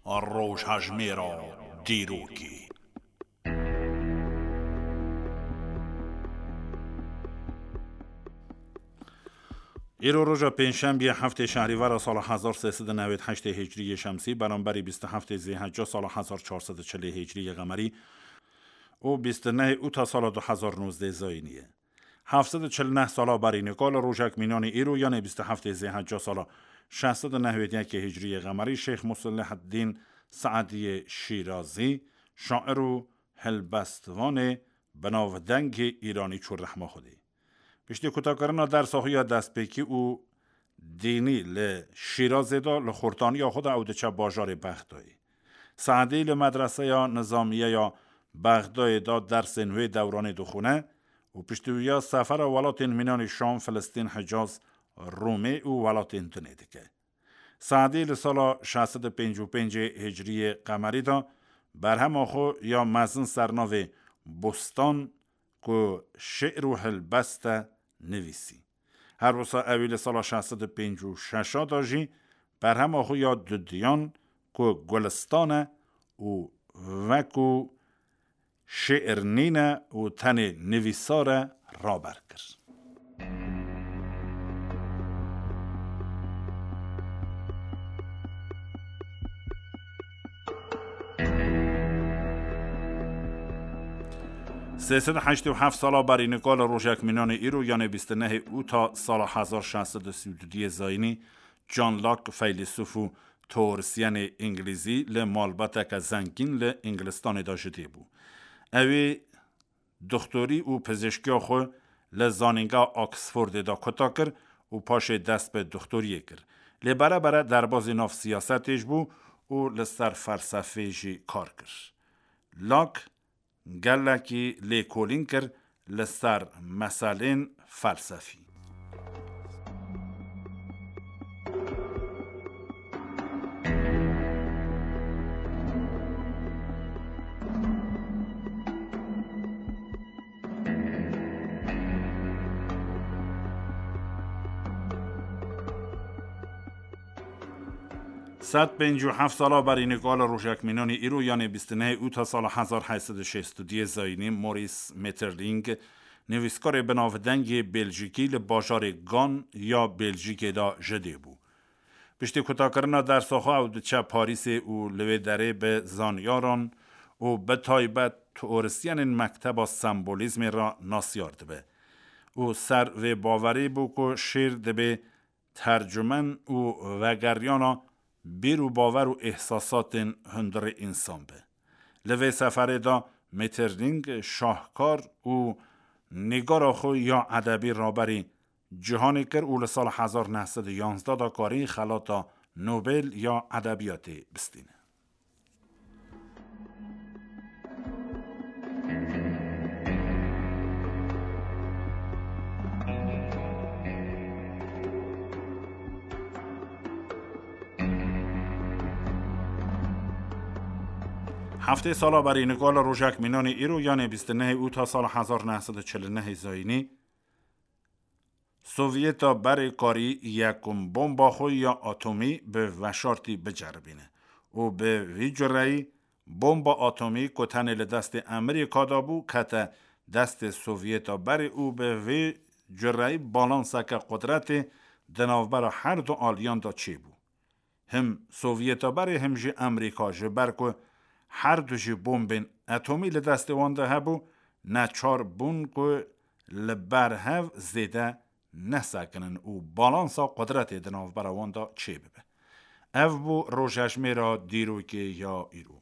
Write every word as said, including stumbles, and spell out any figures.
Rojhejmêra dîrokê. Îro roja pêncşembiyê heftê şehrîvera sala hezar sê sed û newêd heştê hicriyê şemsî, beramberî bîst û heftê zêhecca sala hezar çar sed û çilê hicriyê qemerî û bîst û nehê ûta sala du hezar nozdeh zayînî ye. Heft sed û çil û neh sala berî nika li rojek mînanî îro, yanê bîst û heftê zêhecca sala şeş sed û newêd yekê hicriyê qemerî, Şêx Musliheddîn Seediyê Şîrazî, şair û helbestvanê binavdengê Îranî çû rehma Xwedê. Piştî kutakirina dersa xwe ya destpêkî û dînî li Şîrazê de, li xurtaniya xwe de ew diçe bajarê Bexdayê. Seedî li medreseya nizamiye ya Bexdayê de dersên wê dewranê dixwîne û piştî wiya sefera welatên mînanî Şam, Filistîn, Hicaz, Rûmê û welatên dinê dike. Seedî li sala şeş sed û pêncî û pêncê hicriyê qemerî de berhema xwe ya mezin ser navê Bostan ku şi'r û helbest e nivîsî. Her wisa ewî li sala şeş sed û pêncî û şeş de jî berhema xwe ya dudiyan ku Gulistan e û wekû şi'r nîne û tenê nivîsar e, raber kir. Sê sed û heştê û heft sala berî nika li rojek mînanê îro, yanê bîst û nehê ûta sala hezar şeş sed û sî û duyê zayînî, John Locke, feylesûf û teorisyenê îngilîzî, li malbateke zengîn li Îngilistanê de ji dê bû. Ew ê doxtorî û pizîşkiya xwe li Zanîngeha Oxfordê de kuta kir û paşê dest bi doxtoriyê kir. Lê bere bere derbazî nav siyasetê jî bû û li ser felsefê jî kar kir. Locke gelekî lêkolîn kir li ser meselên felsefî. Sed pêncî û heft sala berî nika li rojek mînanî îro, yanê bîst û nehê ûta sala hezar heyt sed û şêst û duyê zayînî, Maurice Maeterlinck, nivîskarê binavdengê Belcîkî, li bajarê Gan ya Belcîkê de ji dê bû. Piştî kutakirina dersa xwe ew diçe Parîsê û li wê derê bi zanyaran û bi taybet teorisyenên mekteba sembolîzmê re nasiyar dibe û ser vê bawerî bû ku şîr dibê tercumen û vegeryana bîr û bawer û îhsasatên hundirê însan be. Li vê seferê de Maeterlinck şahkar û nîgara xwe ya edebî raberî cîhanê kir û li sala hezar neh sed û yanzdeh de karî xelata Nobel ya edebiyatê bistîne. Heftê sala berî nika li rojek mînanê îro, yanê bîst û nehê ûta sala hezar neh sed û çil û nehê zayînî, Sovyeta berê karî yekum bomba xwe ya atomî bi veşartî biceribîne û bi vî cureyî bomba atomî ku tenê li destê Amerîka de bû, kete destê Sovyeta berê û bi vî cureyî balanseke qudretê di navbera her du aliyan de çêbû. Him Sovyeta berê him jî Amerîka, ji ber ku her du jî bombên atomî li destê wan de hebû, neçar bûn ku li ber hev zêde nesekinin û balansa qudretê di navbera wan de çêbibe. Ev bû rojejmêra dîrokê ya îro.